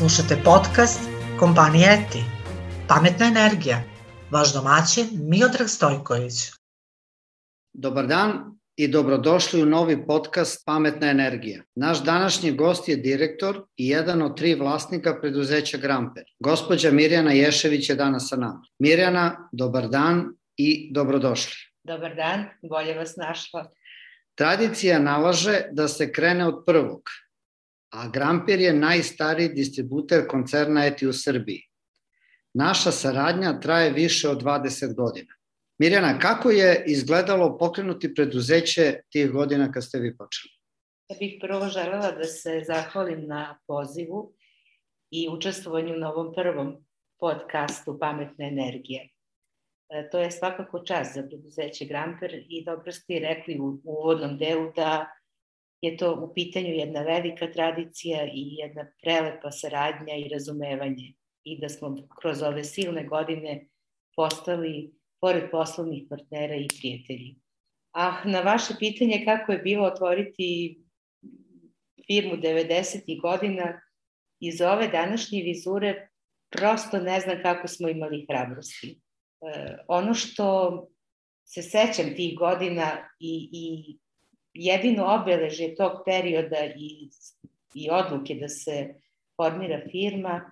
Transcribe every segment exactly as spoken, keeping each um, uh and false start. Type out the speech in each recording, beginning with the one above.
Slušate podcast kompanije E T I, Pametna energija, vaš domaćin Miodrag Stojković. Dobar dan i dobrodošli u novi podcast Pametna energija. Naš današnji gost je direktor i jedan od tri vlasnika preduzeća Gramper. Gospođa Mirjana Ješević je danas sa nama. Mirjana, dobar dan i dobrodošli. Dobar dan, bolje vas našla. Tradicija nalaže da se krene od prvog, a Gramper je najstariji distributer koncerna E T I u Srbiji. Naša saradnja traje više od dvadeset godina. Mirjana, kako je izgledalo pokrenuti preduzeće tih godina kad ste vi počeli? Ja bih prvo želela da se zahvalim na pozivu i učestvovanju na ovom prvom podcastu Pametne energije. E, to je svakako čast za preduzeće Gramper i dobro ste i rekli u uvodnom delu da je to u pitanju jedna velika tradicija i jedna prelepa saradnja i razumevanje i da smo kroz ove silne godine postali pored poslovnih partnera i prijatelji. A na vaše pitanje kako je bilo otvoriti firmu devedesetih godina, iz ove današnje vizure prosto ne znam kako smo imali hrabrosti. E, ono što se sećam tih godina i, i jedino obeležje tog perioda i, i odluke da se formira firma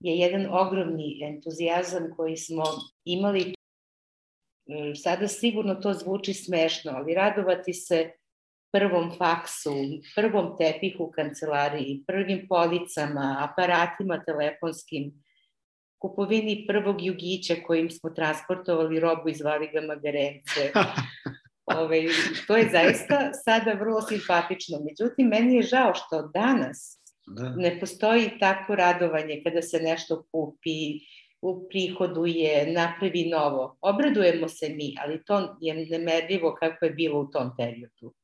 je jedan ogromni entuzijazam koji smo imali. Sada sigurno to zvuči smešno, ali radovati se prvom faksu, prvom tepihu u kancelariji, prvim policama, aparatima telefonskim, kupovini prvog jugića kojim smo transportovali robu i zvali ga Magarence. Ove, to je zaista sada vrlo simpatično. Međutim, meni je žao što danas da. ne postoji takvo radovanje kada se nešto kupi, uprihoduje, napravi novo. Obradujemo se mi, ali to je nemerljivo kako je bilo u tom periodu.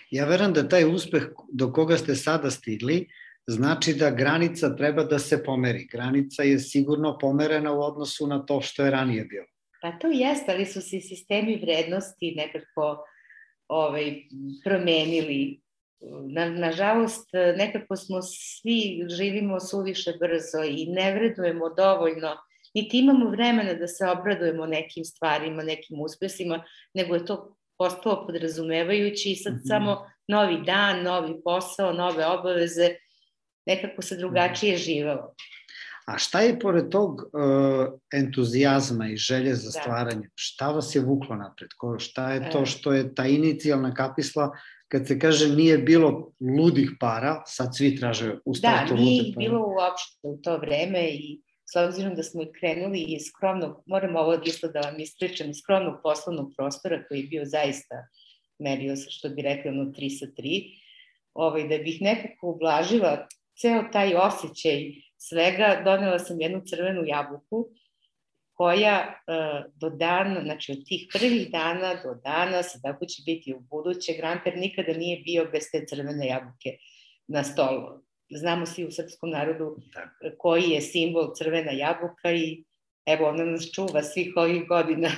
Ja verujem da taj uspeh do koga ste sada stigli znači da granica treba da se pomeri. Granica je sigurno pomerena u odnosu na to što je ranije bilo. Pa to jeste, ali su se sistemi vrednosti nekako ovaj, promenili. Na, nažalost, nekako smo svi živimo suviše brzo i ne vredujemo dovoljno, niti imamo vremena da se obradujemo nekim stvarima, nekim uspesima, nego je to postalo podrazumevajući i sad mm-hmm. samo novi dan, novi posao, nove obaveze, nekako se drugačije živelo. A šta je pored tog uh, entuzijazma i želje za stvaranje? Da. Šta vas je vuklo napred? Ko, šta je to što je ta inicijalna kapisla kad se kaže nije bilo ludih para, sad svi traže u startu lude para? Da, nije bilo uopšte u to vreme i s obzirom da smo krenuli iz skromnog, moram ovo isto da vam ispričam, iz skromnog poslovnog prostora koji je bio zaista, merio se što bi rekli ono tri sa tri, ovaj, da bih nekako ublažila ceo taj osjećaj svega, donela sam jednu crvenu jabuku koja uh, do dana, znači od tih prvih dana do danas, tako će biti u buduće, Gramper nikada nije bio bez te crvene jabuke na stolu. Znamo svi u srpskom narodu koji je simbol crvena jabuka i evo ona nas čuva svih ovih godina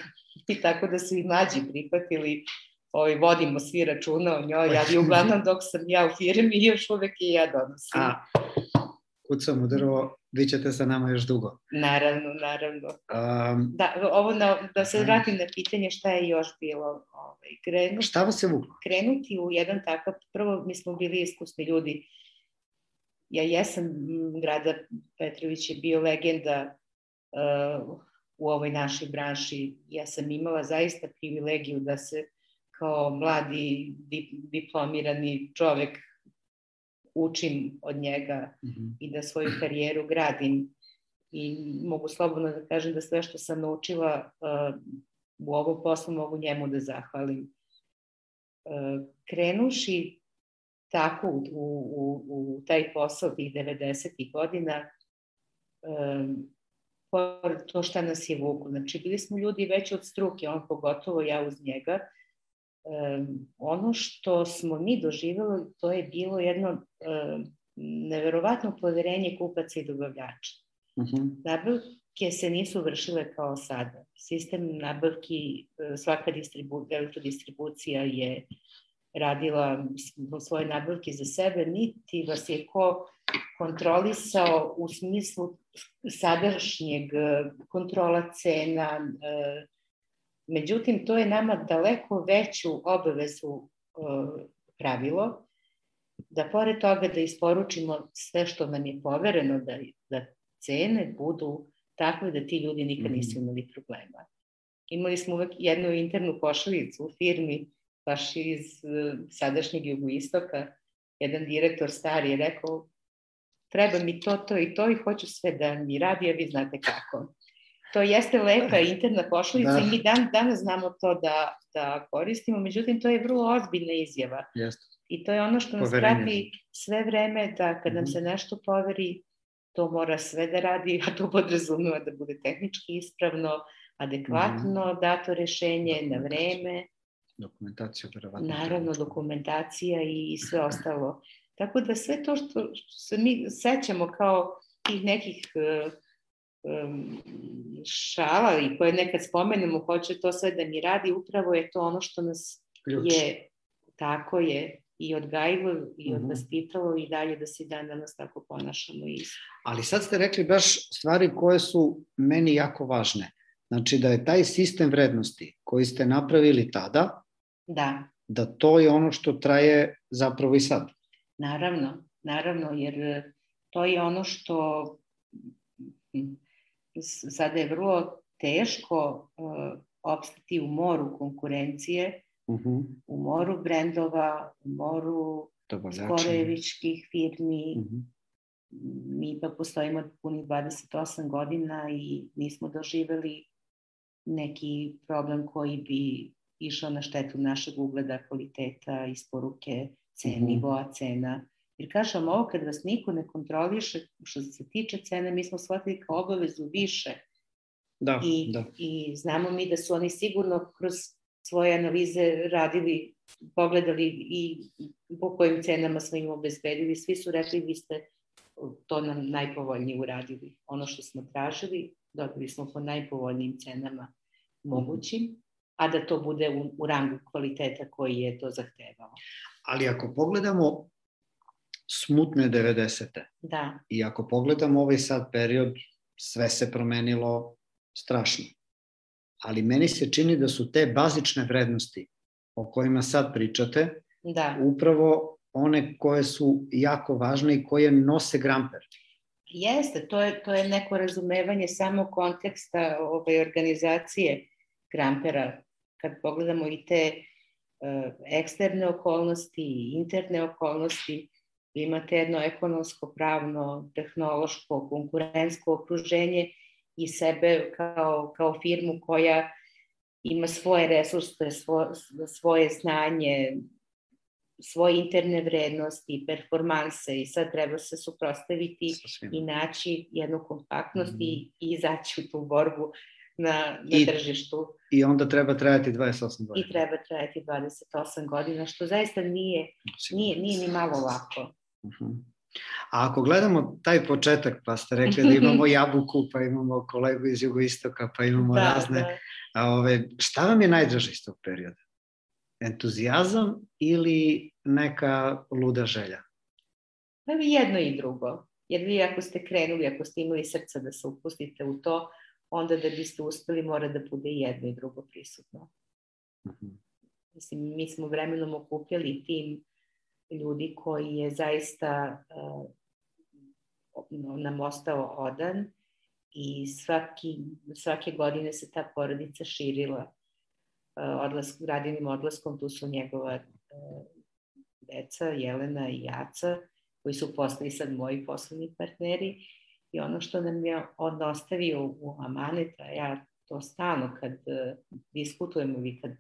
i tako da su i mlađi prihvatili, ovaj, vodimo svi računa o njoj, ali uglavnom dok sam ja u firmi još uvek i ja donosim. A, kucam u drvo, vi ćete sa nama još dugo. Naravno, naravno. Um, da, ovo na, da se vratim na pitanje šta je još bilo. Ovaj, krenuti, šta vas je vuklo? Krenuti u jedan takav, prvo mi smo bili iskusni ljudi. Ja jesam, Grada Petrović je bio legenda uh, u ovoj našoj branši. Ja sam imala zaista privilegiju da se kao mladi diplomirani čovek učim od njega mm-hmm. i da svoju karijeru gradim. I mogu slobodno da kažem da sve što sam naučila uh, u ovom poslu mogu njemu da zahvalim. Uh, krenuši tako u, u, u taj posao tih devedesetih godina, um, to šta nas je vuklo. Znači, bili smo ljudi već od struke, on pogotovo, ja uz njega. Um, ono što smo mi doživjeli, to je bilo jedno um, neverovatno poverenje kupaca i dobavljača. Uh-huh. Nabavke se nisu vršile kao sada. Sistem nabavki, svaka distribu, elektrodistribucija je radila svoje nabavke za sebe, niti vas je ko kontrolisao u smislu sadašnjeg kontrola cena. Međutim, to je nama daleko veću obavezu pravilo, da pored toga da isporučimo sve što nam je povereno, da, da cene budu takve da ti ljudi nikad nisu imali problema. Imali smo uvek jednu internu pošalicu u firmi, baš iz sadašnjeg jugoistoka. Jedan direktor stari je rekao, treba mi to, to i to i hoću sve da mi radi, a vi znate kako. To jeste lepa interna pošalica da. I mi dan, danas znamo to da, da koristimo, međutim to je vrlo ozbiljna izjava. Jeste. I to je ono što nas prati sve vreme, da kad nam se nešto poveri, to mora sve da radi, a to podrazumeva da bude tehnički ispravno, adekvatno, dato rešenje na vreme. Dokumentacija. Naravno, dokumentacija i sve ostalo. Tako da sve to što se mi sećamo kao tih nekih um, šala i koje nekad spomenemo, hoće to sve da mi radi, upravo je to ono što nas Ključ. je, tako je, i odgajilo i odvaspitalo i dalje da se dan danas tako ponašamo. Ali sad ste rekli baš stvari koje su meni jako važne. Znači da je taj sistem vrednosti koji ste napravili tada, da, da to je ono što traje zapravo i sad. Naravno, naravno, jer to je ono što sada je vrlo teško uh, opstati u moru konkurencije, uh-huh. u moru brendova, u moru skorevičkih firmi. Uh-huh. Mi pa postojimo punih dvadeset osam godina i nismo doživeli neki problem koji bi išao na štetu našeg ugleda, kvaliteta, isporuke, cena, mm-hmm. nivoa cena. Jer kažem, ovo kad vas niko ne kontroliše, što se tiče cene, mi smo shvatili kao obavezu više. Da, I, da. I znamo mi da su oni sigurno kroz svoje analize radili, pogledali i po kojim cenama smo im obezbedili. Svi su rekli, vi ste to nam najpovoljnije uradili. Ono što smo tražili, dobili smo po najpovoljnijim cenama mogućim, a da to bude u, u rangu kvaliteta koji je to zahtevao. Ali ako pogledamo smutne devedesete da. I ako pogledamo ovaj sad period, sve se promenilo strašno. Ali meni se čini da su te bazične vrednosti o kojima sad pričate, da. Upravo one koje su jako važne i koje nose Gramper. Jeste, to je, to je neko razumevanje samo konteksta ove organizacije Grampera. Kad pogledamo i te uh, eksterne okolnosti i interne okolnosti, imate jedno ekonomsko, pravno, tehnološko, konkurentsko okruženje i sebe kao, kao firmu koja ima svoje resurse, svo, svoje znanje, svoje interne vrednosti, performanse i sad treba se suprotstaviti i naći jednu kompaktnost mm. i, i izaći u tu borbu na, na I, tržištu. I onda treba trajati dvadeset osam godina. I treba trajati dvadeset osam godina, što zaista nije, nije, nije ni malo lako. Uh-huh. A ako gledamo taj početak, pa ste rekli da imamo Jabuku, pa imamo kolegu iz jugoistoka, pa imamo da, razne, da. A ove, šta vam je najdraže iz tog perioda? Entuzijazam ili neka luda želja? Pa jedno i drugo. Jer vi ako ste krenuli, ako ste imali srca da se upustite u to, onda da biste uspeli mora da bude jedno i drugo prisutno. Uh-huh. Mislim, mi smo vremenom okupljali tim ljudi koji je zaista uh, nam ostao odan i svaki, svake godine se ta porodica širila. Uh, odlask, radinim odlaskom tu su njegova uh, deca, Jelena i Jaca, koji su postali sad moji poslovni partneri. I ono što nam je on ostavio u amanet, a ja to stalno kad uh, diskutujemo ili kad,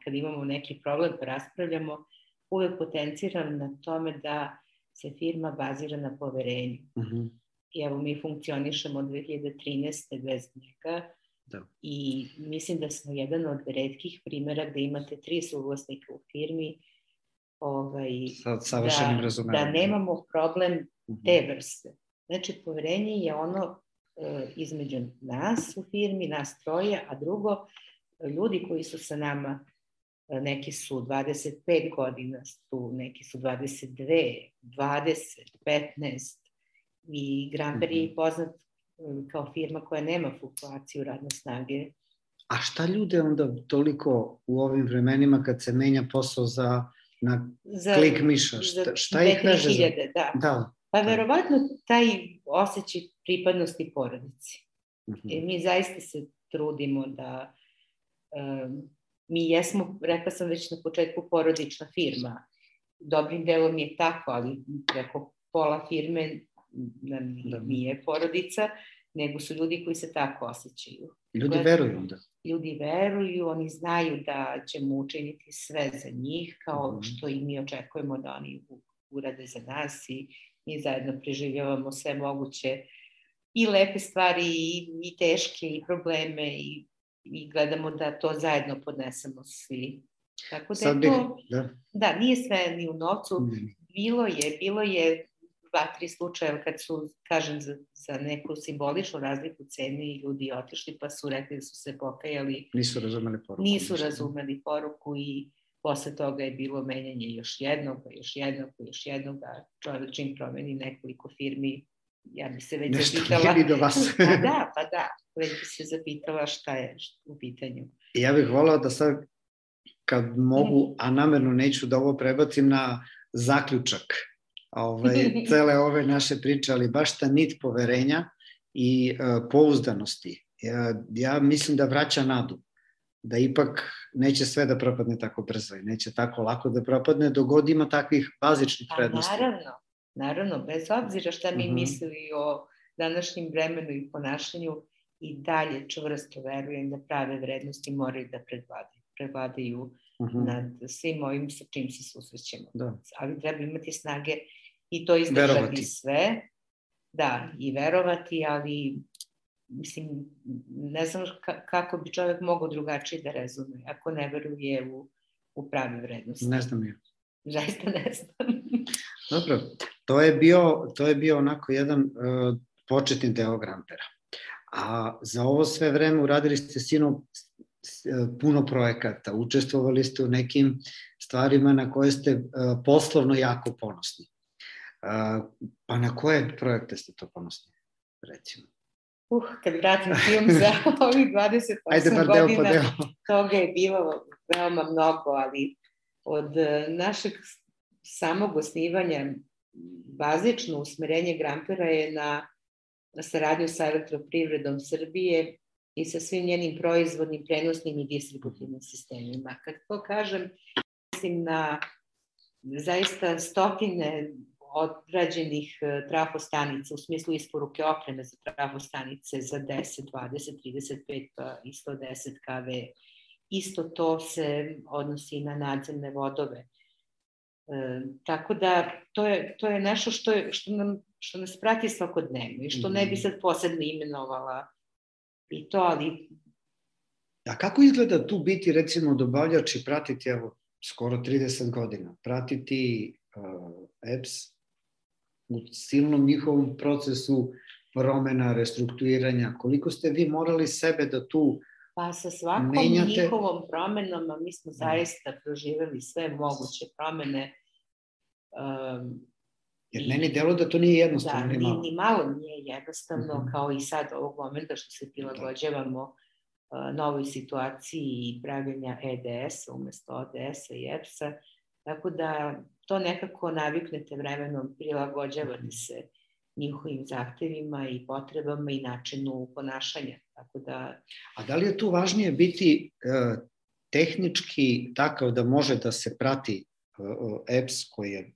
kad imamo neki problem pa raspravljamo, uvek potenciram na tome da se firma bazira na poverenju. Uh-huh. I evo mi funkcionišemo od dve hiljade trinaeste. bez njega da. I mislim da smo jedan od retkih primjera gde imate tri suvlasnika u firmi ovaj, Sa, da, da nemamo problem uh-huh. te vrste. Znači, poverenje je ono e, između nas u firmi, nas troje, a drugo, ljudi koji su sa nama neki su dvadeset pet godina, tu, neki su dvadeset dve, dvadeset, petnaest i Gramper je poznat kao firma koja nema fluktuaciju radne snage. A šta ljude onda toliko u ovim vremenima kad se menja posao za na za, klik miša? Šta, šta ih veže? Za da. da. Pa da. Verovatno taj osjećaj pripadnosti porodici. Uh-huh. E, mi zaista se trudimo da um, mi jesmo, rekla sam već na početku, porodična firma. Dobrim delom je tako, ali preko pola firme da. nije porodica, nego su ljudi koji se tako osjećaju. Ljudi Gled, veruju onda. Ljudi veruju, oni znaju da ćemo učiniti sve za njih, kao mm. što i mi očekujemo da oni urade za nas i mi zajedno preživljavamo sve moguće i lepe stvari i, i teške i probleme i, i gledamo da to zajedno podnesemo svi. Tako da je to, da. da, nije sve ni u novcu, mm. bilo je, bilo je dva, tri slučaja kad su, kažem, za, za neku simboličnu razliku cene i ljudi otišli pa su rekli da su se pokajali. Nisu razumeli poruku. Nisu razumeli poruku i posle toga je bilo menjanje još jednog, još jednog, još jednog, a čovjek čim promeni nekoliko firmi, ja bi se već Nešto zapitala. Nešto nije do vas. Pa da, pa da, već bi se zapitala šta je u pitanju. Ja bih volao da sad, kad mogu, a namerno neću da ovo prebacim na zaključak Ove, cele ove naše priče, ali baš ta nit poverenja i uh, pouzdanosti. Ja, ja mislim da vraća nadu, da ipak neće sve da propadne tako brzo i neće tako lako da propadne dok god ima takvih bazičnih prednosti. A naravno, naravno, bez obzira šta mi uh-huh. mislili o današnjem vremenu i ponašanju, i dalje čvrsto verujem da prave vrednosti moraju da predvladaju, predvladaju uh-huh. nad svim ovim sa čim se susrećemo. Da. Ali treba imati snage i to izdržati verovati. Sve. Da, i verovati, ali mislim, ne znam kako bi čovjek mogao drugačije da razume ako ne veruje u, u prave vrednosti. Ne znam ja. Zaista ne znam. Dobro, to je bio, to je bio onako jedan uh, početni deo Grampera. A za ovo sve vreme uradili ste sino puno projekata, učestvovali ste u nekim stvarima na koje ste uh, poslovno jako ponosni. Uh, pa na koje projekte ste to ponosni, recimo? Uh, kad vratim film za ovih dvadeset osam Ajde, godina, deo deo. Toga je bilo veoma mnogo, ali od našeg samog osnivanja bazično usmerenje Grampera je na, na saradnju sa Elektroprivredom Srbije i sa svim njenim proizvodnim, prenosnim i distributivnim sistemima. Kad to kažem, mislim na zaista stotine odrađenih trafostanica u smislu isporuke opreme za trafostanice za deset, dvadeset, trideset pet i sto deset kV. Isto to se odnosi i na nadzemne vodove. E, tako da to je, to je nešto što, je, što, nam, što nas prati svakodnevno i što ne bi sad posebno imenovala i to, ali... A kako izgleda tu biti, recimo, dobavljač i pratiti, evo, skoro trideset godina, pratiti uh, E P S u silnom njihovom procesu promena, restrukturiranja? Koliko ste vi morali sebe da tu Pa sa svakom menjate... njihovom promenom, mi smo zaista proživeli sve moguće promene. Um, Jer i, meni delo da to nije jednostavno. Da, ni malo, ni malo nije jednostavno, uh-huh. kao i sad ovog momenta što se prilagođavamo uh, novoj situaciji i pravljenja E D S-a umesto O D S-a i E P S-a. Tako da to nekako naviknete vremenom, prilagođavate se njihovim zahtevima i potrebama i načinu ponašanja. Tako da... A da li je tu važnije biti uh, tehnički takav da može da se prati uh, E P S koji je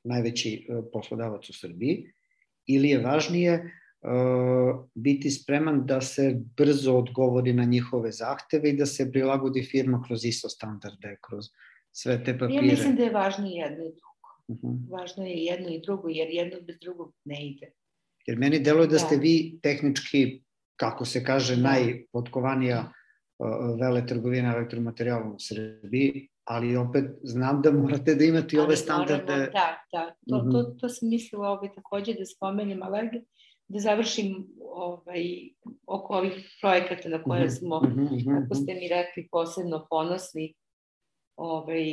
najveći uh, poslodavac u Srbiji, ili je važnije uh, biti spreman da se brzo odgovori na njihove zahteve i da se prilagodi firma kroz I S O standarde, kroz sve te papire? Ja mislim da je važnije jedno i drugo. Uh-huh. Važno je jedno i drugo, jer jedno bez drugog ne ide. Jer meni deluje da, da ste vi tehnički, kako se kaže, da. najpotkovanija uh, veletrgovina elektromaterijalom u Srbiji, ali opet znam da morate da imate i ove standarde. Moramo, da, da. To, uh-huh. to, to sam mislila ovaj, takođe da spomenem, ali da završim ovaj, oko ovih projekata na koje smo, uh-huh, uh-huh, kako ste mi rekli, posebno ponosni. Ovaj,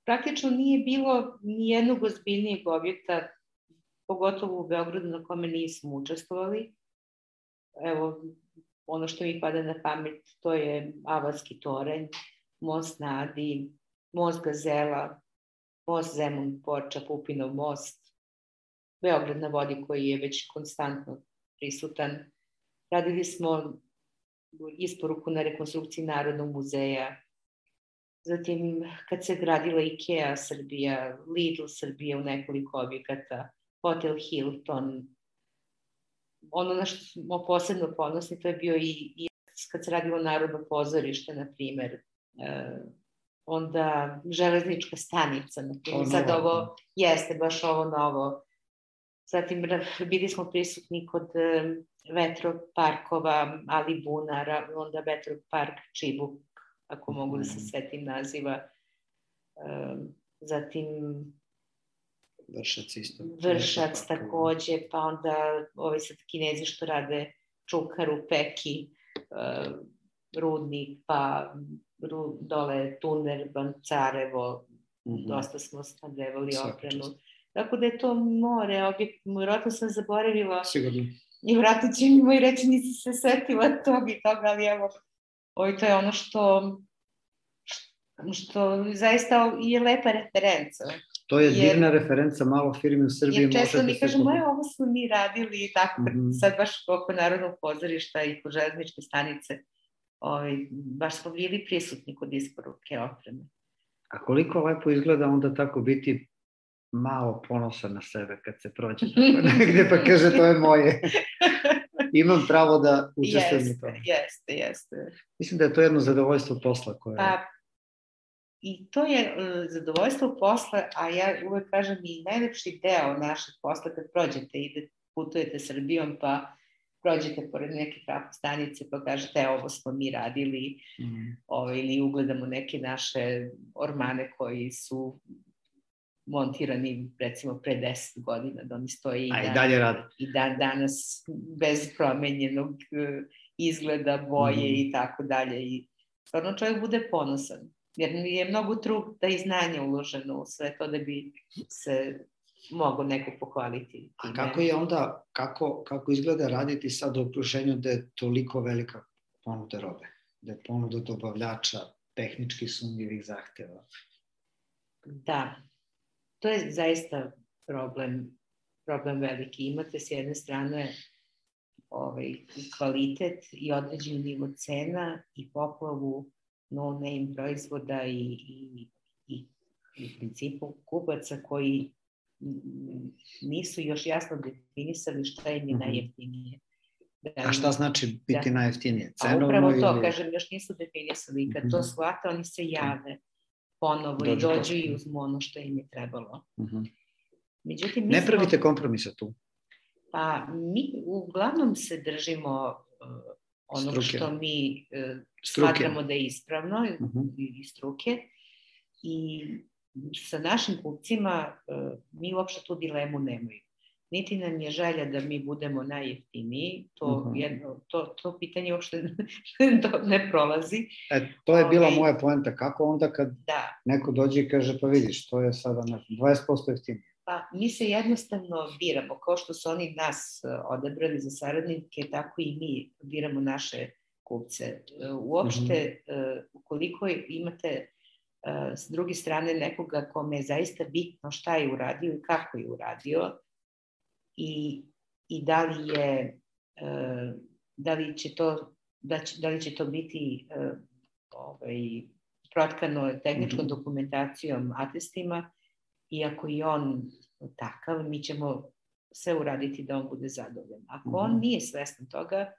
praktično nije bilo ni jednog ozbiljnijeg objekta, pogotovo u Beogradu, na kome nismo učestvovali. Evo, ono što mi pada na pamet, to je Avalski toranj, most na Adi, most Gazela, most Zemun Porča, Pupinov most, Beograd na vodi koji je već konstantno prisutan. Radili smo isporuku na rekonstrukciji Narodnog muzeja. Zatim, kad se gradila IKEA Srbija, Lidl Srbija u nekoliko objekata, Hotel Hilton. Ono na što smo posebno ponosni, to je bio i, i kad se radilo Narodno pozorište, na primer. E, onda železnička stanica, na primer. Sad ovo jeste baš ovo novo. Zatim bili smo prisutni kod vetroparkova Alibunara, onda vetropark Čibuk, ako mogu da se setim naziva. Zatim Vršac isto. Vršac takođe, pa onda ovi sad Kinezi što rade Čukaru, Peki, Rudnik, pa dole Tuner, Bancarevo, dosta smo snabdevali opremu. Tako da je to more, objekt, vjerojatno sam zaboravila. Sigurno. I vratno će mi moj reći, nisi se setila tog i toga, ali evo, ovo to je ono što, što zaista je lepa referenca. To je divna referenca, malo firmi u Srbiji. Jer često mi kažemo, je, ovo smo mi radili i tako, sad baš oko Narodnog pozorišta i kod železničke stanice, baš smo bili prisutni kod isporuke opreme. A koliko lepo izgleda onda tako biti malo ponosan na sebe kad se prođe tako negde pa kaže to je moje. Imam pravo da učestvujem u tome. Jeste, jeste. Mislim da je to jedno zadovoljstvo posla koje... Pa, i to je zadovoljstvo posla, a ja uvek kažem i najlepši deo našeg posla kad prođete i putujete Srbijom pa prođete pored neke trafo stanice pa kažete evo ovo smo mi radili ili ugledamo neke naše ormane koji su montirani recimo pre deset godina, da oni stoji i dan danas bez promenjenog izgleda, boje i tako dalje. I stvarno čovjek bude ponosan, jer je mnogo truda i znanja uloženo u sve to da bi se mogo neko pohvaliti. A kako je onda, kako izgleda raditi sad u okruženju da je toliko velika ponuda robe, da je ponuda dobavljača, tehnički sumnjivih zahteva? Da. To je zaista problem, problem veliki. Imate s jedne strane ovaj, kvalitet i određeni nivo cena i poplavu no-name proizvoda i, i, i, i u principu kupaca koji nisu još jasno definisali šta im je najjeftinije. A šta znači biti najjeftinije? A upravo to, kažem, još nisu definisali. Kad to shvate, oni se jave ponovo i dođu i uzmu ono što im je trebalo. Ne pravite kompromisa tu? Pa mi uglavnom se držimo onog što mi smatramo da je ispravno iz struke i sa našim kupcima mi uopšte tu dilemu nemaju. Niti nam je želja da mi budemo najjeftiniji, to pitanje uopšte ne prolazi. To je bila moja poenta, kako onda kad neko dođe i kaže pa vidiš, to je sada dvadeset posto jeftinije. Pa mi se jednostavno biramo, kao što su oni nas odabrali za saradnike, tako i mi biramo naše kupce. Uopšte, ukoliko imate s druge strane nekoga kome je zaista bitno šta je uradio i kako je uradio, i, i da li je da li će to da, će, da li će to biti ovaj, protkano tehničkom dokumentacijom, atestima, i ako je on takav, mi ćemo sve uraditi da on bude zadovoljan. Ako on nije svestan toga,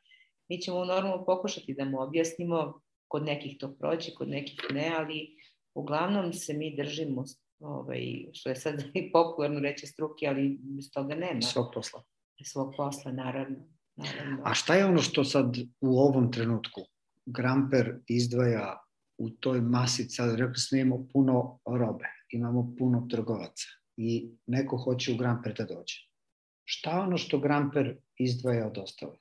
mi ćemo normalno pokušati da mu objasnimo, kod nekih to prođe, kod nekih ne, ali uglavnom se mi držimo, ovaj, što je sad popularno reći struke, ali bez toga nema. Svog posla. Svog posla, naravno. naravno. A šta je ono što sad u ovom trenutku Gramper izdvaja u toj masi, sad rekli smo imamo puno robe, imamo puno trgovaca i neko hoće u Gramper da dođe. Šta je ono što Gramper izdvaja od ostalih?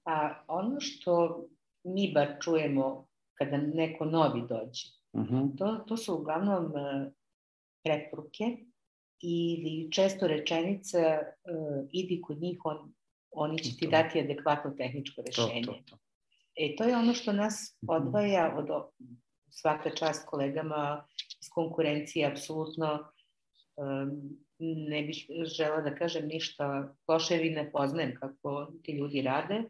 Pa ono što mi bar čujemo kada neko novi dođe, Uh-huh. To, to su uglavnom uh, preporuke ili često rečenica uh, idi kod njih, on, oni će ti dati adekvatno tehničko rešenje. To, to, to. E, to je ono što nas odvaja od svaka čast kolegama iz konkurencije, apsolutno um, ne bih žela da kažem ništa loše, jer ne poznajem kako ti ljudi rade,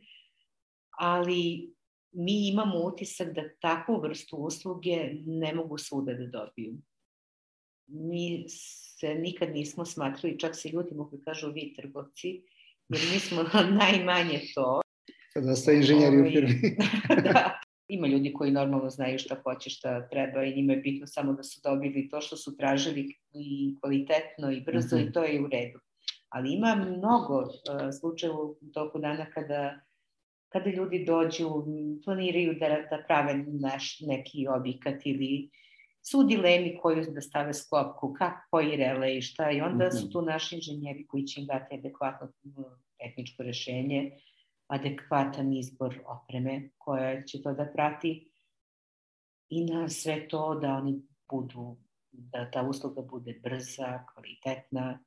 ali mi imamo utisak da takvu vrstu usluge ne mogu svuda da dobiju. Mi se nikad nismo smatrali, čak se ljudimo koji kažu vi trgovci, jer mi smo najmanje to. Kada ste inženjeri u firmi. Da. Ima ljudi koji normalno znaju šta hoće, šta treba i njima je bitno samo da su dobili to što su tražili i kvalitetno i brzo uh-huh. i to je u redu. Ali ima mnogo uh, slučajeva u toku dana kada, kada ljudi dođu, planiraju da, da prave naš, neki objekat ili su dilemi koju da stave sklopku, kako, koji relej, šta i onda uh-huh. su tu naši inženjeri koji će im dati adekvatno tehničko rešenje, adekvatan izbor opreme koja će to da prati i na sve to da oni budu, da ta usluga bude brza, kvalitetna,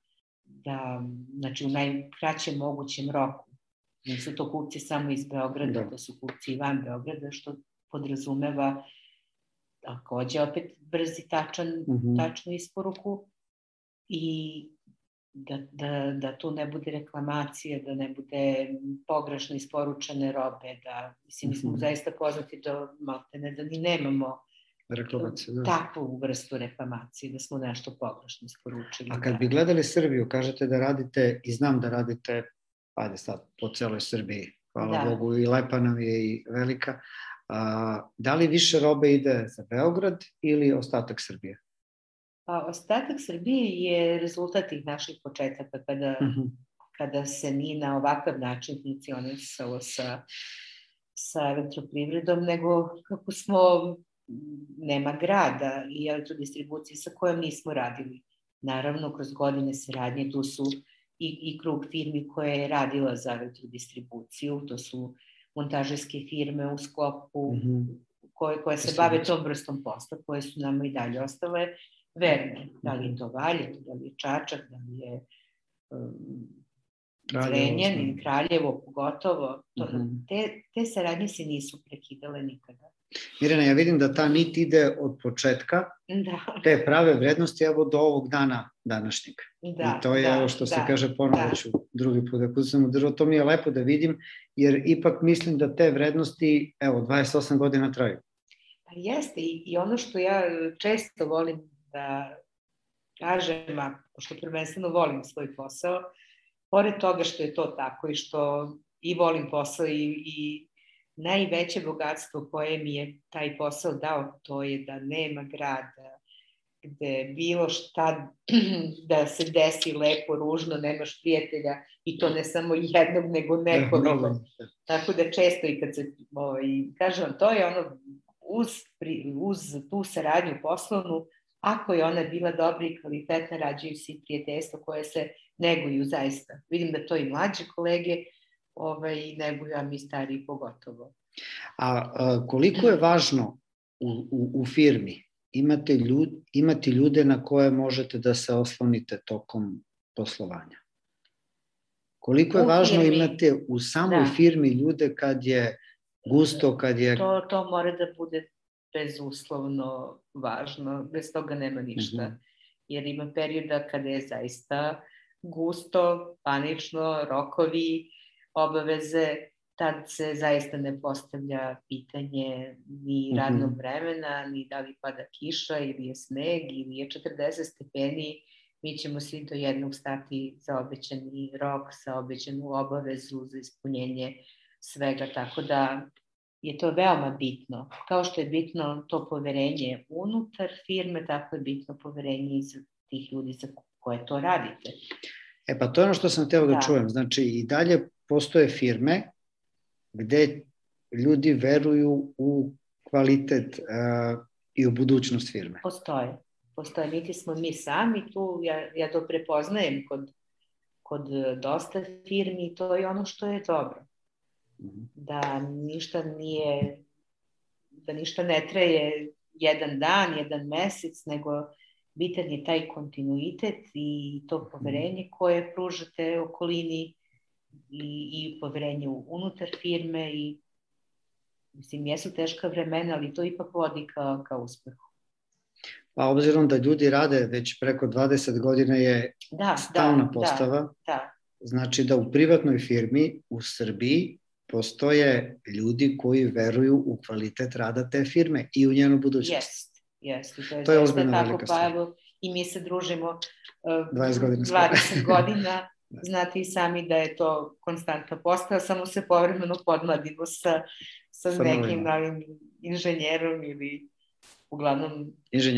da, znači u najkraćem mogućem roku. Nisu to kupci samo iz Beograda, da. To su kupci i van Beograda, što podrazumeva takođe opet brzi, tačan, mm-hmm. tačnu isporuku i Da, da, da tu ne bude reklamacije, da ne bude pogrešno isporučene robe, da, mislim, mi smo mm-hmm. zaista poznati da maltene da ni nemamo reklamacije, da. Takvu vrstu reklamacije, da smo nešto pogrešno isporučili. A kad bi gledali Srbiju, kažete da radite, i znam da radite, ajde sad, po celoj Srbiji, hvala da. Bogu, i lepa nam je i velika, a, da li više robe ide za Beograd ili ostatak Srbije? Pa, ostatak Srbije je rezultat tih naših početaka kada, uh-huh. kada se nije na ovakav način funkcionisalo sa, sa elektroprivredom, nego kako smo, nema grada i elektrodistribucije sa kojom nismo radili. Naravno, kroz godine saradnje tu su i, i krug firmi koje je radila za elektrodistribuciju, to su montažerske firme u sklopu uh-huh. koje, koje se bave tom vrstom posla, koje su nam i dalje ostale verne. Da li je to Valjevo, da li je Čačak, da li je um, Zrenjanin ili Kraljevo, pogotovo. To, uh-huh. te, te saradnje se nisu prekidale nikada. Mirjana, ja vidim da ta nit ide od početka, da. Te prave vrednosti evo do ovog dana današnjeg. Da, I to je da, ovo što se da, kaže ponovo ću drugi put da kucam u drvo. To mi je lepo da vidim, jer ipak mislim da te vrednosti, evo, dvadeset osam godina traju. Pa jeste, i, i ono što ja često volim da kažem, a pošto prvenstveno volim svoj posao, pored toga što je to tako i što i volim posao i, i najveće bogatstvo koje mi je taj posao dao, to je da nema grada gde bilo šta da se desi lepo, ružno, nemaš prijatelja i to ne samo jednog, nego nekoliko. Tako da često i kad se, ovaj, kažem vam, to je ono, uz, uz tu saradnju poslovnu, ako je ona bila dobra i kvalitetna, rađaju se prijateljstva koje se neguju zaista. Vidim da to i mlađe kolege ovaj, neguju, a mi stariji pogotovo. A, a koliko je važno u, u, u firmi imate ljud, imati ljude na koje možete da se oslonite tokom poslovanja? Koliko je u važno firmi, imate u samoj da. firmi ljude kad je gusto, kad je... To, to mora da bude bezuslovno važno, bez toga nema ništa. Mm-hmm. Jer ima perioda kada je zaista gusto, panično, rokovi, obaveze, tad se zaista ne postavlja pitanje ni radnog vremena, ni da li pada kiša ili je sneg ili je četrdeset stepeni. Mi ćemo svi do jednog stati za obećani rok, za obećanu obavezu, za ispunjenje svega, tako da je to veoma bitno. Kao što je bitno to poverenje unutar firme, tako je bitno poverenje i za tih ljudi za koje to radite. E pa to je ono što sam hteo da, da čujem. Znači i dalje postoje firme gde ljudi veruju u kvalitet uh, i u budućnost firme. Postoje. Postoje. Niti smo mi sami tu, ja, ja to prepoznajem kod, kod dosta firmi i to je ono što je dobro. Mm-hmm. Da ništa nije, da ništa ne traje jedan dan, jedan mesec, nego bitan je taj kontinuitet i to poverenje koje pružate okolini i, i poverenje unutar firme i mislim, jesu teška vremena, ali to ipak vodi ka, ka uspehu. Pa obzirom da ljudi rade već preko dvadeset godina je da, stalna da, postava, da, da. Znači da u privatnoj firmi u Srbiji postoje ljudi koji veruju u kvalitet rada te firme i u njenu budućnost. Jest, jest. To je, to je ozbiljno velika stvar. Pa evo, i mi se družimo uh, dvadeset godina. dvadeset godina. Znate i sami da je to konstantna postava, samo se povremeno podmladimo sa, sa, sa nekim novim inženjerom ili uglavnom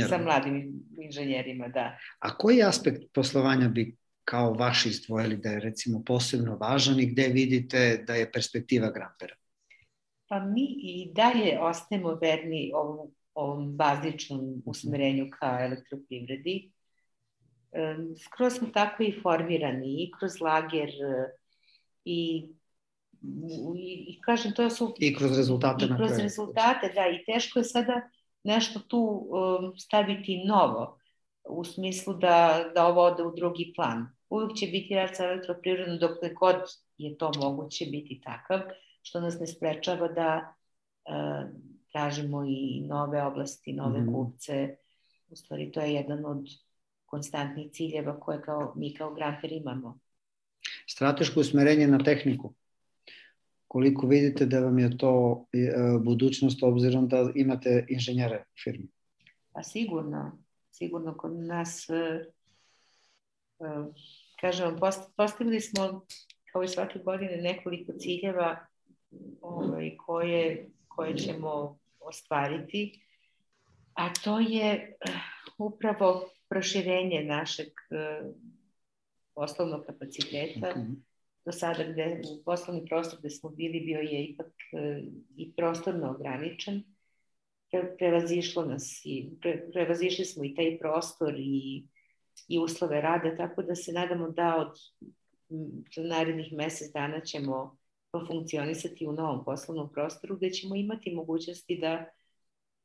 sa mladim inženjerima, da. A koji aspekt poslovanja bi kao vaši izdvojili da je recimo posebno važan i gde vidite da je perspektiva Grampera? Pa mi i dalje ostajemo verni ovom, ovom bazičnom usmerenju ka elektroprivredi. Skroz smo tako i formirani i kroz lager i, i, i kažem to su... I kroz rezultate. I kroz rezultate, da, i teško je sada nešto tu um, staviti novo, u smislu da, da ovo ode u drugi plan. Uvijek će biti rad sa elektroprivredom dok god je to moguće biti takav, što nas ne sprečava da uh, tražimo i nove oblasti, nove mm-hmm. kupce. U stvari, to je jedan od konstantnih ciljeva koje kao, mi kao Gramper imamo. Strateško usmerenje na tehniku. Koliko vidite da vam je to budućnost obzirom da imate inženjere u firmi? Pa sigurno. Sigurno kod nas, kažem, postavili smo kao i svake godine nekoliko ciljeva ovaj, koje, koje ćemo ostvariti, a to je upravo proširenje našeg poslovnog kapaciteta. Okay. Do sada gde u poslovni prostor gde smo bili bio je ipak i prostorno ograničen. Pre, prevazišlo nas i pre, prevazišli smo i taj prostor i, i uslove rada, tako da se nadamo da od narednih mesec dana ćemo funkcionisati u novom poslovnom prostoru gde ćemo imati mogućnosti da,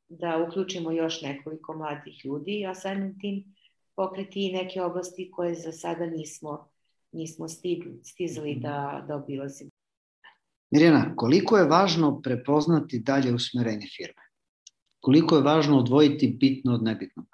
da uključimo još nekoliko mladih ljudi, a samim tim pokriti i neke oblasti koje za sada nismo, nismo stigli, stizali da, da obilazimo. Mirjana, koliko je važno prepoznati dalje usmerenje firme? Koliko je važno odvojiti bitno od nebitnog?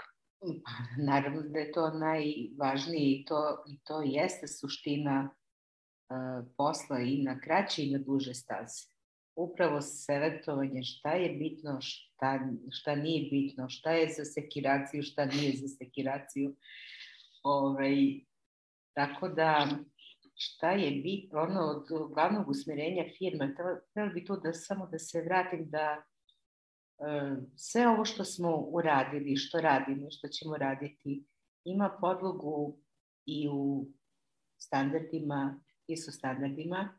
Naravno da je to najvažnije i to, i to jeste suština uh, posla i na kraće i na duže staze. Upravo selektovanje šta je bitno, šta, šta nije bitno, šta je za sekiraciju, šta nije za sekiraciju. Ovaj, tako da šta je bitno, ono od glavnog usmerenja firme, trebalo bi to da samo da se vratim da sve ovo što smo uradili, što radimo, što ćemo raditi, ima podlogu i u standardima, I S O standardima.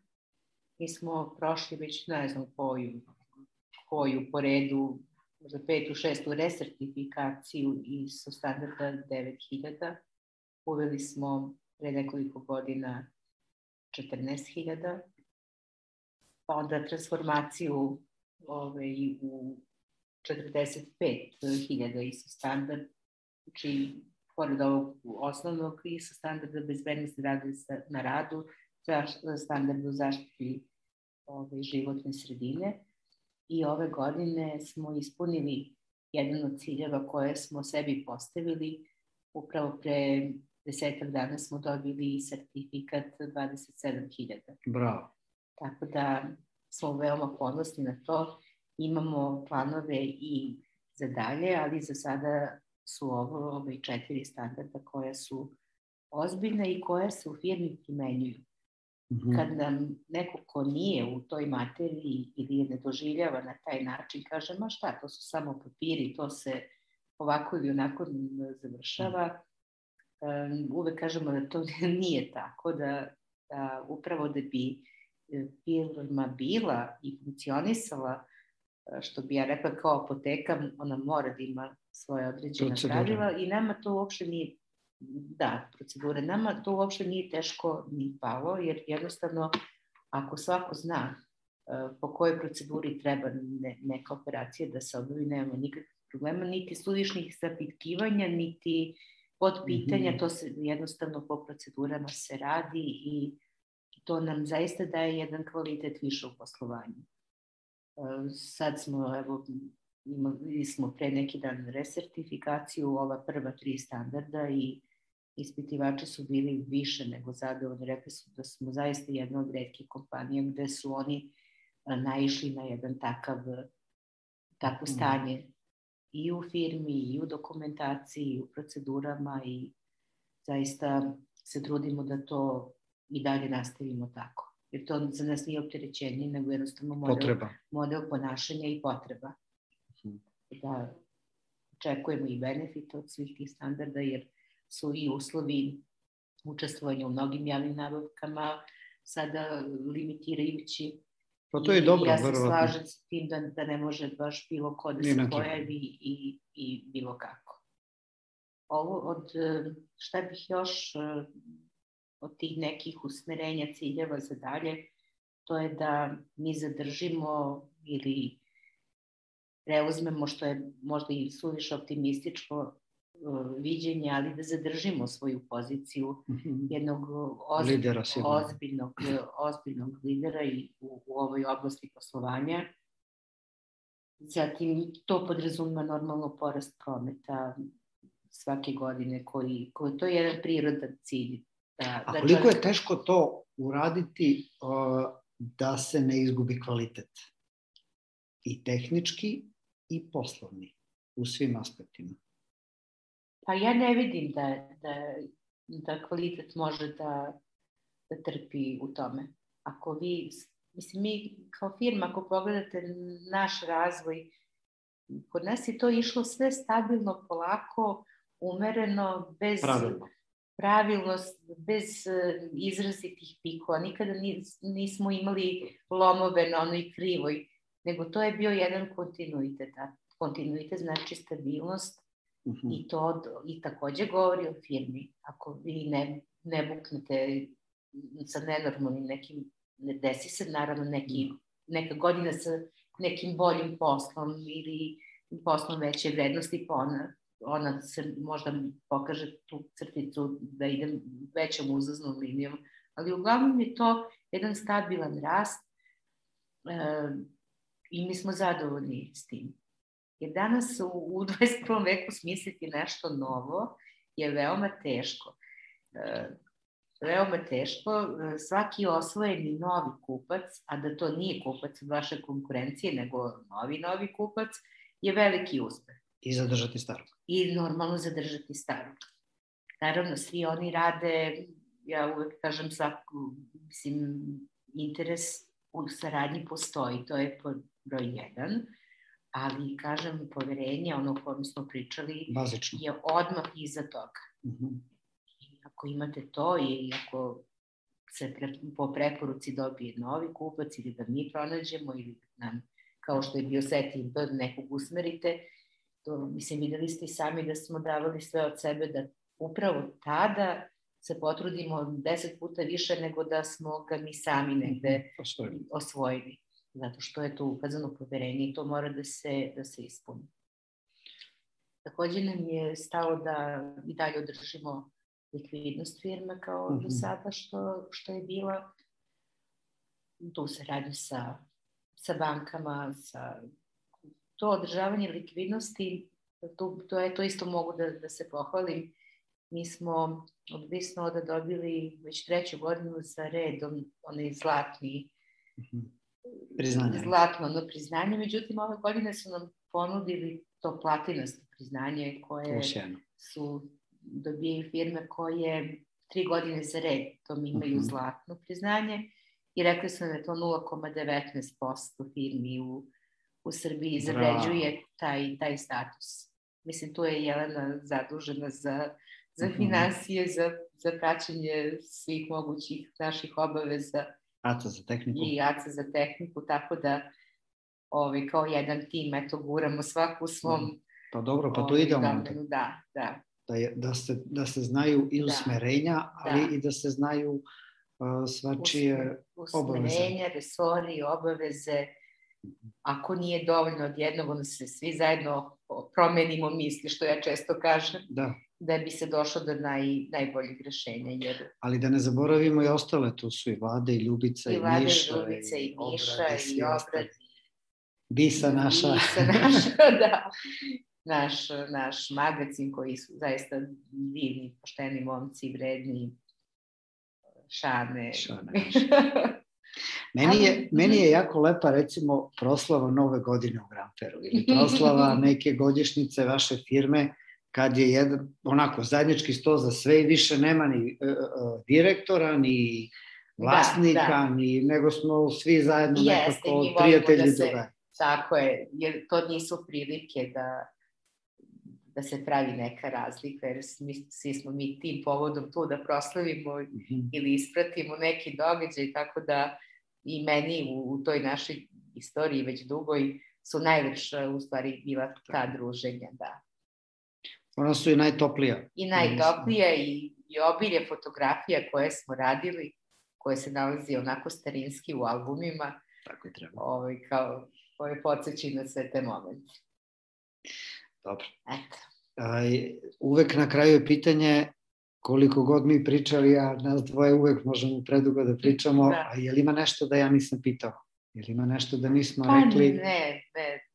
Mi smo prošli već, ne znam, koju, koju po redu, za petu, šestu resertifikaciju I S O standarda devet hiljada. Uveli smo pre nekoliko godina četrnaest hiljada. Pa onda transformaciju ovaj, u četrdeset pet hiljada I S O standard, znači pored ovog osnovnog I S O standarda bezbednosti rada na radu, standardu zaštiti ove, životne sredine. I ove godine smo ispunili jedan od ciljeva koje smo sebi postavili. Upravo pre desetak dana smo dobili sertifikat dvadeset sedam hiljada. Bravo. Tako da smo veoma ponosni na to. Imamo planove i za dalje, ali za sada su ovo ove četiri standarda koja su ozbiljne i koje se u firmi primenjuju. Mm-hmm. Kad nam neko ko nije u toj materiji ili je ne doživljava na taj način, kaže, ma šta, to su samo papiri, to se ovako ili onako završava. Um, uvek kažemo da to nije tako, da, da upravo da bi firma bila i funkcionisala, što bi ja rekla kao apoteka, ona mora da ima svoje određene pravila i nama to uopšte nije, da, procedure, nama to uopšte nije teško ni palo, jer jednostavno ako svako zna uh, po kojoj proceduri treba ne, neka operacija da se obavi, nemamo nikakvih problema, niti suvišnih zapitkivanja, niti podpitanja, Mhm. to se jednostavno po procedurama se radi i to nam zaista daje jedan kvalitet više u poslovanju. E, Sad smo, evo, imali smo pre neki dan resertifikaciju, ova prva tri standarda i ispitivači su bili više nego zadovoljni. Rekli su da smo zaista jedna od retkih kompanija gde su oni e, naišli na jedan takav, takvo stanje i u firmi, i u dokumentaciji, i u procedurama i zaista se trudimo da to i dalje nastavimo tako. Jer to za nas nije opterećenje, nego jednostavno model, Potreba. model ponašanja i potreba. Da očekujemo i benefite od svih tih standarda, jer su i uslovi učestvovanja u mnogim javnim nabavkama sada limitirajući. Pa to je dobro, ja se verovatno. slažem s tim da, da ne može baš bilo ko da Nije se ne treba. pojavi i, i bilo kako. Ovo od, šta bih još od tih nekih usmerenja, ciljeva za dalje, to je da mi zadržimo ili preuzmemo, što je možda i suviše optimističko viđenje, ali da zadržimo svoju poziciju jednog ozb... lidera, ozbiljnog, ozbiljnog lidera i u, u ovoj oblasti poslovanja. Zatim to podrazumeva normalno porast prometa svake godine, koji, koji to je jedan prirodan cilj. Da, A da koliko čovjek... je teško to uraditi uh, da se ne izgubi kvalitet? I tehnički i poslovni, u svim aspektima. Pa ja ne vidim da, da, da kvalitet može da, da trpi u tome. Ako vi, mislim, mi kao firma, ako pogledate naš razvoj, kod nas je to išlo sve stabilno, polako, umereno, bez pravilno, pravilnost, bez izrazitih pikova. Nikada nismo imali lomove na onoj krivoj, nego to je bio jedan kontinuitet. A kontinuitet znači stabilnost. Uh-huh. I to i takođe govori o firmi. Ako vi ne, ne buknete sa nenormalnim nekim, ne desi se naravno neki, neka godina sa nekim boljim poslom ili poslom veće vrednosti, pa ona, ona se možda pokaže tu crticu da idem većom uzlaznom linijom, ali uglavnom je to jedan stabilan rast e, i mi smo zadovoljni s tim. Jer danas u, u dvadeset prvom veku smisliti nešto novo je veoma teško. E, veoma teško. Svaki osvojeni novi kupac, a da to nije kupac od vaše konkurencije, nego novi novi kupac, je veliki uspeh. I zadržati starog. I normalno zadržati starog. Naravno, svi oni rade, ja uvek kažem, svaku, mislim, interes u saradnji postoji, to je broj jedan. Ali, kažem, poverenje, ono o kojem smo pričali, bazično, je odmah iza toga. Uh-huh. I ako imate to i ako se pre, po preporuci dobije novi kupac ili da mi pronađemo ili da nam, kao što je bio setting, da nekog usmerite, to, mislim, videli ste i sami da smo davali sve od sebe da upravo tada se potrudimo deset puta više nego da smo ga mi sami negde uh-huh. osvojili. Zato što je to ukazano poverenje i to mora da se, da se ispuni. Takođe nam je stalo da i dalje održimo likvidnost firme kao mm-hmm. do sada što, što je bila. Tu saradnju sa, sa bankama, sa to održavanje likvidnosti, to, to, je, to isto mogu da, da se pohvalim. Mi smo od Bisnoda dobili već treću godinu za redom onaj zlatni mm-hmm. priznanje. Zlatno ono priznanje, međutim ove godine su nam ponudili to platinasto priznanje koje Usjeno. Su dobijaju firme koje tri godine za red tom imaju uh-huh. zlatno priznanje i rekli su da je to nula zarez devetnaest posto firmi u, u Srbiji zavređuje taj, taj status. Mislim, tu je Jelena zadužena za, za uh-huh. finansije, za, za praćenje svih mogućih naših obaveza. A C A za tehniku. I A C A za tehniku, tako da ovaj, kao jedan tim, eto, guramo svaku u svom... Pa dobro, pa to ide onda. Da, da. Da, je, da, se, da se znaju i usmerenja, da, ali da. I da se znaju uh, svačije obaveze. Usmerenja, resori, obaveze. Ako nije dovoljno od jednog, onda se svi zajedno promenimo misli, što ja često kažem, da. da bi se došlo do naj, najboljih rešenja. Jer... Ali da ne zaboravimo i ostale, tu su i Vlade, i Ljubica, i, i Vlade, Miša, i Ljubica, i, i Miša, obrad, i Obrad, Bisa naša. Bisa naša, da. Naš, naš magazin koji su zaista divni, pošteni momci, vredni, Šane. Šane. Meni je, meni je jako lepa, recimo, proslava Nove godine u Gramperu ili proslava neke godišnjice vaše firme, kad je jedan, onako, zajednički sto za sve i više nema ni uh, uh, direktora, ni vlasnika, da, da. Ni, nego smo svi zajedno Jeste, nekako prijatelji da toga. Tako je, jer to nisu prilike da, da se pravi neka razlika, jer mi, svi smo mi tim povodom tu da proslavimo mm-hmm. ili ispratimo neki događaj, tako da i meni u, u toj našoj istoriji već dugoj su najlepša u stvari bila ta druženja, da. Ona su i najtoplija. I najtoplija i, i obilje fotografija koje smo radili, koje se nalazi onako starinski u albumima. Tako i treba. Ovaj, kao, koje podsjeći na sve te momente. Dobro. Eto. A, uvek na kraju je pitanje, koliko god mi pričali, a nas dvoje uvek možemo predugo da pričamo, da. A je li ima nešto da ja nisam pitao? Je li ima nešto da nismo pa, rekli? Ne, ne.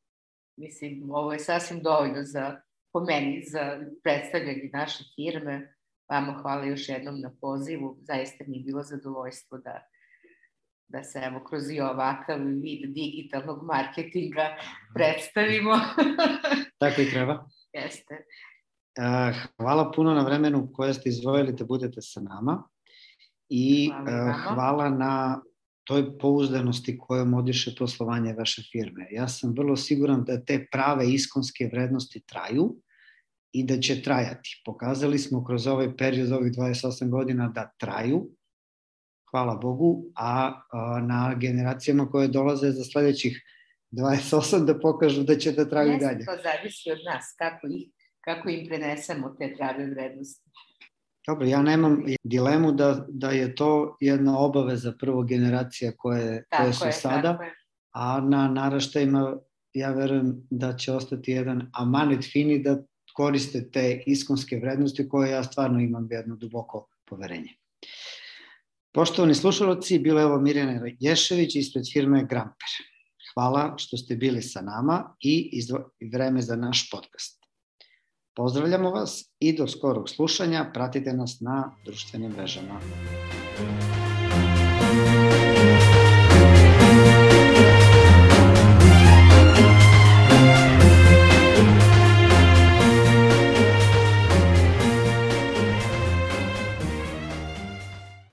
Mislim, ovo je sasvim dovoljno za, po meni, za predstavljanje naše firme. Vama hvala još jednom na pozivu. Zaista mi je bilo zadovoljstvo da, da se evo kroz i ovakav vid digitalnog marketinga predstavimo. Tako i treba. Jeste. Hvala puno na vremenu koje ste izdvojili da budete sa nama i hvala, hvala na toj pouzdanosti kojom odiše poslovanje vaše firme. Ja sam vrlo siguran da te prave iskonske vrednosti traju i da će trajati. Pokazali smo kroz ovaj period, ovih dvadeset osam godina, da traju, hvala Bogu, a, a na generacijama koje dolaze za sledećih dvadeset osam da pokažu da će da traju i dalje. To zavisi od nas, kako, ih, kako im prenesemo te prave vrednosti. Dobro, ja nemam dilemu da, da je to jedna obaveza prvo generacija koje, koje su je, sada, a na naraštajima ja verujem da će ostati jedan amanet fini da koriste te iskonske vrednosti koje ja stvarno imam jedno duboko poverenje. Poštovani slušalci, bila je ovo Mirjana Ješević ispred firme Gramper. Hvala što ste bili sa nama i izdvo... vreme za naš podcast. Pozdravljamo vas i do skorog slušanja. Pratite nas na društvenim mrežama.